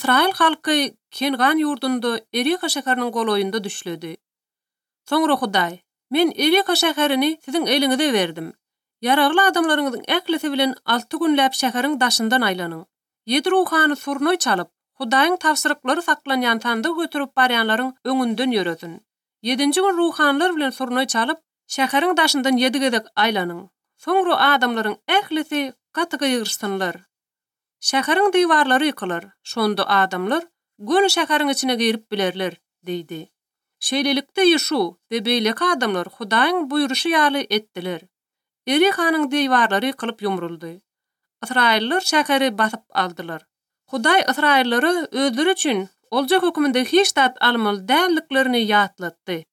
İsrail halky Kengan ýurdunda Erika şäheriniň goloýunda düşledi. Soňra Hudaý, men Erika şäherini siziň eliňize berdim. Yaragly adamlaryňyzyň äklisi bilen 6 günläp şäheriň daşyndan aýlanyň. 7 ruhany surnoy çalyp, Hudaýyň tawsyryklary saklanýan sandy götürüp barýanlaryň öňünden ýöresin. 7-nji gün ruhanlar bilen surnoy çalyp, şäheriň daşyndan 7 gezek aýlanyň. Soňra adamlaryň äklisi gatyga ýygyrşsynlar. Şäheriň diwarlary ýykylar. Şonda adamlar göni şäheriň içine girip bilerler, diýdi. Şeýlelikde ýeşu we beýleki adamlar Hudaýyň buýruşy ýaly etdiler. Erikanyň diwarlary ýykylyp ýumruldy. Israilliler şäheri basyp aldylar. Hudaý Israillary özleri üçin oljak höküminde hiç dat almaly dälliklerini ýatlatdy.